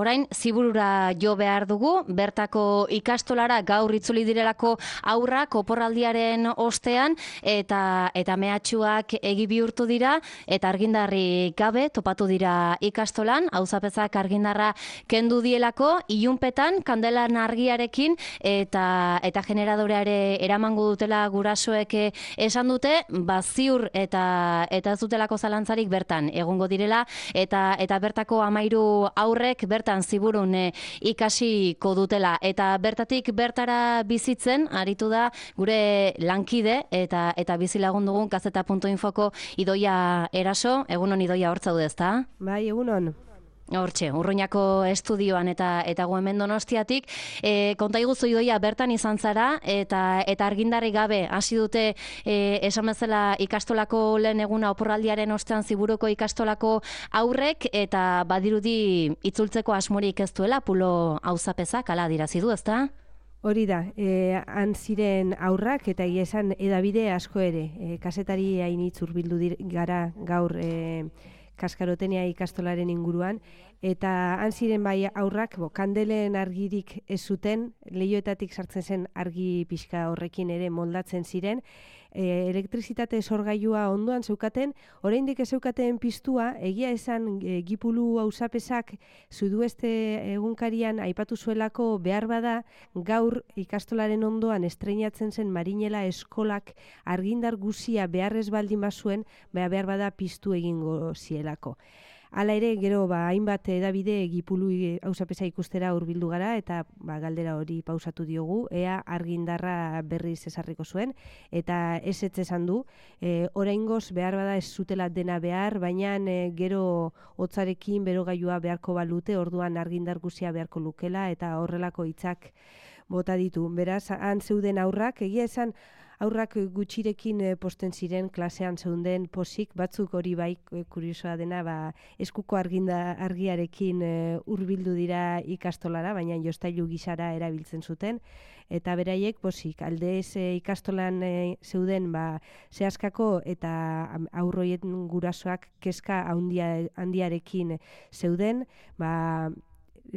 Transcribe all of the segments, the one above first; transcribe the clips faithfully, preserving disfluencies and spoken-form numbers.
Orain, ziburura jo behar dugu, bertako ikastolara gaur itzuli direlako aurrak oporraldiaren ostean, eta eta mehatxuak egi bihurtu dira, eta argindarri gabe topatu dira ikastolan, auzapezak argindarra kendu dielako, ilunpetan, kandelan argiarekin, eta eta generadoreare eramango dutela gurasoek esan dute, baziur eta eta ez dutelako zalantzarik bertan egongo direla, eta eta bertako hamairu aurrek bertan ziburun e, ikasiko dutela. Eta bertatik bertara bizitzen, aritu da gure lankide eta eta bizilagun dugun gazeta puntu infoko Idoia Eraso. Egunon Idoia, hor zaude, ezta? Bai, egunon. Hortxe, Urruñako estudioan eta eta gu hemen Donostiatik, e, konta iguzu Idoia bertan izan zara eta eta argindarri gabe hasi dute e, esan bezala ikastolako lehen eguna oporraldiaren ostean ziburuko ikastolako aurrek, eta badirudi itzultzeko asmorik ez duela pulo auzapezak, hala adirazi du, ezta? Hori da, e, han ziren aurrak eta egia esan edabide asko ere, e, kazetari hainitz hurbildu gara gaur e, Kaskarotenia ikastolaren inguruan, eta han ziren bai aurrak, bo, kandelen argirik ez zuten, leihoetatik sartzen zen argi pixka horrekin ere moldatzen ziren, e, elektrizitate sorgailua ondoan zeukaten, oraindik ez zeukaten piztua, egia esan e, Gipulu auzapezak Sudueste egunkarian aipatu zuelako behar bada, gaur ikastolaren ondoan estreinatzen zen Marinela eskolak argindar guzia beharrez baldin bazuen, behar bada piztu egingo zielako. Hala ere, gero, ba, hainbat edabide Gipulu auzapeza ikustera hurbildu gara, eta ba, galdera hori pausatu diogu, ea argindarra berriz ezarriko zuen, eta ez ez esan du, e, oraingoz behar bada ez zutela dena behar, baina e, gero hotzarekin berogailua beharko balute, orduan argindar guzia beharko lukela, eta horrelako hitzak bota ditu. Beraz, han zeuden aurrak, egia esan, aurrak gutxirekin posten ziren, klasean zeunden posik, batzuk hori bai kuriosoa dena, ba, eskuko arginda argiarekin hurbildu dira ikastolara, baina jostailu gisara erabiltzen zuten, eta beraiek posik, aldez ikastolan zeuden ba, zehaskako eta aurroien gurasoak kezka handia, handiarekin zeuden, ba,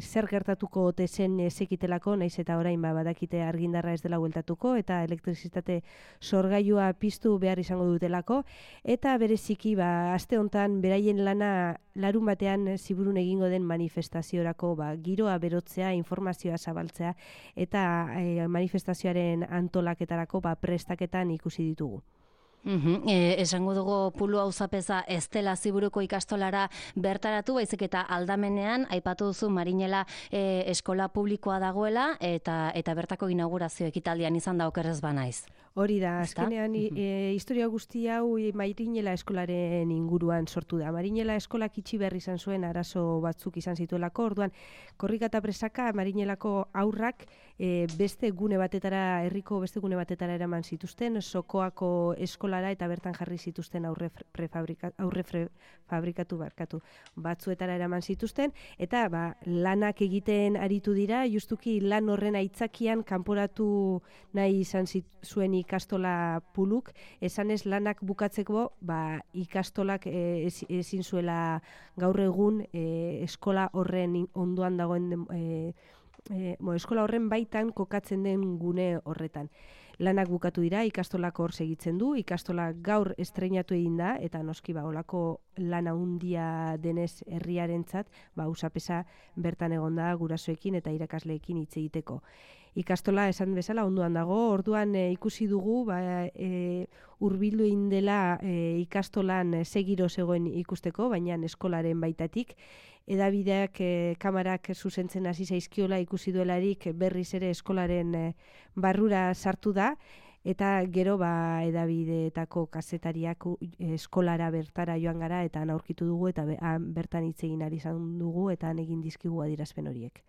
zer gertatuko ote zen ezekitelako, naiz eta orain ba, badakite argindarra ez dela bueltatuko, eta elektrizitate sorgailua piztu behar izango dutelako, eta bereziki ba, aste hontan beraien lana larun batean ziburun egingo den manifestaziorako ba, giroa berotzea, informazioa zabaltzea, eta e, manifestazioaren antolaketarako ba, prestaketan ikusi ditugu. Uhum, e, esango dugu pulu auzapeza ez dela ziburuko ikastolara bertaratu, baizik eta aldamenean aipatu duzu Marinela e, eskola publikoa dagoela, eta eta bertako inaugurazio ekitaldian izan da okerrez banaiz. Hori da, azkenean e, historia guzti hau Marinela eskolaren inguruan sortu da. Marinela eskolak itxi behar izan zuen arazo batzuk izan zituelako, orduan korrika eta presaka Marinelako aurrak e, beste gune batetara, herriko beste gune batetara eraman zituzten, Sokoako eskolara eta bertan jarri zituzten aurre prefabrikatu, aurre fabrikatu barkatu batzuetara eraman zituzten, eta ba, lanak egiten aritu dira, justuki lan horren aitzakian kanporatu nahi izan zuen ikastola puluk, esanez lanak bukatzeko ba, ikastolak e, ezin zuela gaur egun e, eskola horren ondoan dagoen e, e, bo, eskola horren baitan kokatzen den gune horretan. Lanak bukatu dira, ikastolak hor segitzen du, ikastola gaur estreinatu egin da, eta noski ba, olako lana handia denez herriarentzat, ba, auzapeza bertan egonda gurasoekin eta irakasleekin hitz egiteko. Ikastola esan bezala ondoan dago, orduan e, ikusi dugu ba, e, hurbildu egin dela e, ikastolan segiro zegoen ikusteko, baina eskolaren baitatik, edabideak e, kamarak zuzentzen hasi zaizkiola ikusi duelarik berriz ere eskolaren e, barrura sartu da, eta gero ba, edabideetako kazetariak eskolara bertara joan gara, eta han aurkitu dugu, eta be, han bertan hitz egin ari izan dugu, eta han egin dizkigu adierazpen horiek.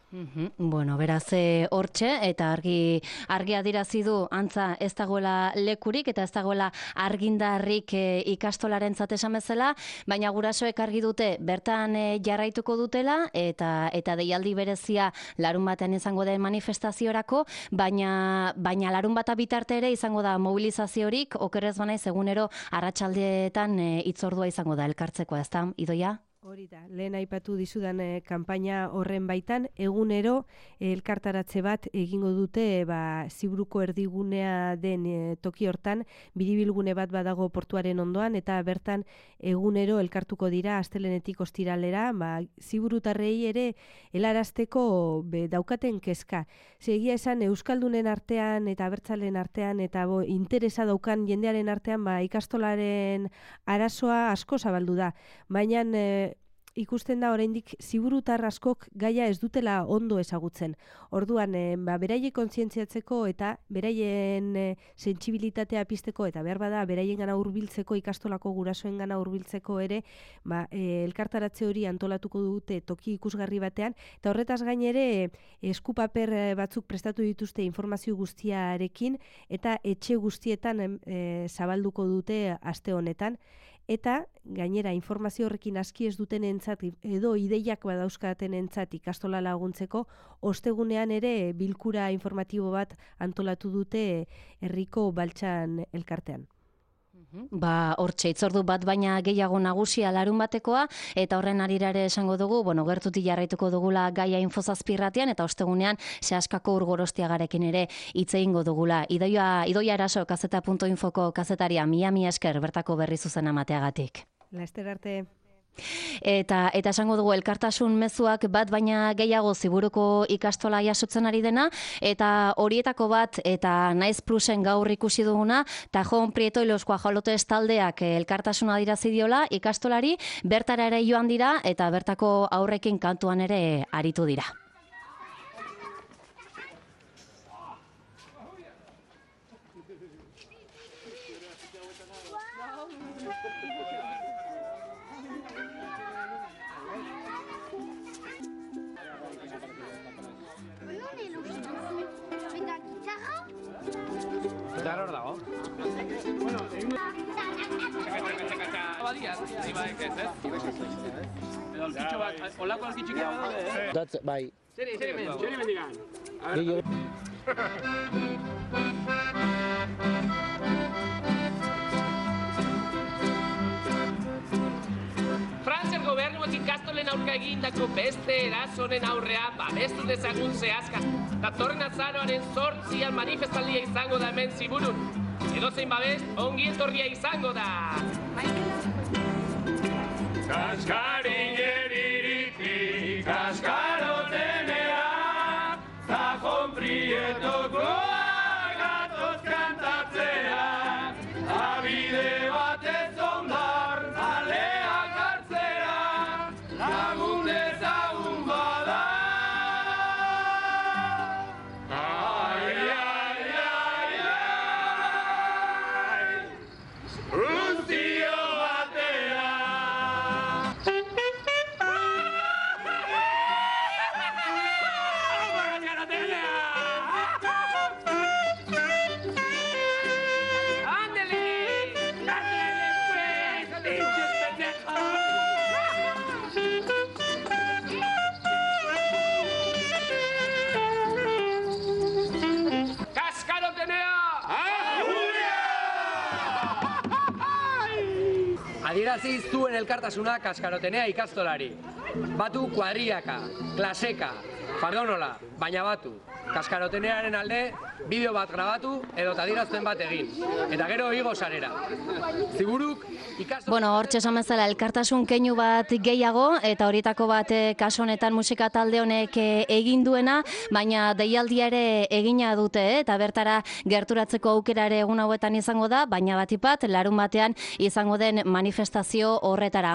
Mm-hmm. Bueno, beraz hortxe, eta argi argi adirazi du antza ez dagoela lekurik eta ez dagoela argindarrik e, ikastolarentzat esan bezala, baina gurasoek argi dute bertan e, jarraituko dutela, eta eta deialdi berezia larun batean izango den manifestaziorako, baina baina larun bata bitarte ere izango da mobilizaziorik, okerrez banaiz egunero arratsaldeetan e, hitzordua izango da elkartzeko, ezta, Idoia? Hori da, lehen aipatu dizudan e, kanpaina horren baitan, egunero e, elkartaratze bat egingo dute ba, Ziburuko erdigunea den e, toki hortan, biribilgune bat badago portuaren ondoan, eta bertan egunero elkartuko dira astelenetik ostiralera, ba, ziburutarrei ere helarazteko be, daukaten kezka. Egia esan Euskaldunen artean eta abertzalen artean eta bo, interesa daukan jendearen artean ba, ikastolaren arazoa asko zabaldu da, baina e, ikusten da oraindik ziburutar askok gaia ez dutela ondo ezagutzen. Orduan, e, ba, beraiek kontzientziatzeko eta beraien e, sentsibilitatea pizteko eta behar bada beraiengana hurbiltzeko ikastolako gurasoengana hurbiltzeko ere, ba, e, elkartaratze hori antolatuko dute toki ikusgarri batean, eta horretaz gain ere e, eskupaper batzuk prestatu dituzte informazio guztiarekin eta etxe guztietan e, zabalduko dute aste honetan. Eta, gainera, informazio horrekin aski ez duten entzat, edo ideiak badauzkaten entzat ikastola laguntzeko, ostegunean ere bilkura informatibo bat antolatu dute herriko Baltsan elkartean. Ba, hortxe, itzordu bat baina gehiago nagusia larun batekoa, eta horren arirare esango dugu, bueno, gertutik jarraituko dugula gaia infozazpirratian, eta ostegunean sehaskako urgorostiagarekin ere hitz egingo dugula. Idoia, Idoia Eraso, kazeta punto infoko kazetaria, mila mila esker bertako berri zuzen amateagatik. Laster arte. Eta eta esango dugu elkartasun mezuak bat baina gehiago Ziburuko ikastola jasotzen ari dena, eta horietako bat eta Naiz Plusen gaur ikusi duguna, Tajon Prieto y los Guajolotes taldeak elkartasuna adierazi diola ikastolari, bertara ere joan dira eta bertako aurrekin kantuan ere aritu dira. Eta hor dago. Badiaz, ibaek ez, ez? Edo alkitxo bat, olako alkitxikia badaude, eh? Datz, bai. Zeri, zeri men, zeri mendigan. Gehiago. Frantziar gobernuak ikastolen aurka egindako beste erasonen aurrean babestu dezagun zehazka. Datorren azaroaren zortzian manifestaldia izango da hemen Ziburun. Edozein babest, ongi etorria izango da. Kaskarin jeriritik, kaskarotenea, Tajon Prietoko gatoz kantatzea, abide batez ondar, aleak hartzera, lagun dezagun bada. Adierazi zuen elkartasuna Kaskarotenea ikastolari. Batu kuadriaka, klaseka, fardonola, baina batu. Kaskarotenearen alde, bideo bat grabatu edo adierazpen bat egin. Eta gero igo sarera. Ziburuk ikastola... Bueno, hortxe esan bezala elkartasun keinu bat gehiago, eta horietako bat kasu honetan musika talde honek egin duena, baina deialdia ere egina dute, eta bertara gerturatzeko aukera ere egun hauetan izango da, baina batipat larun batean izango den manifestazio horretara.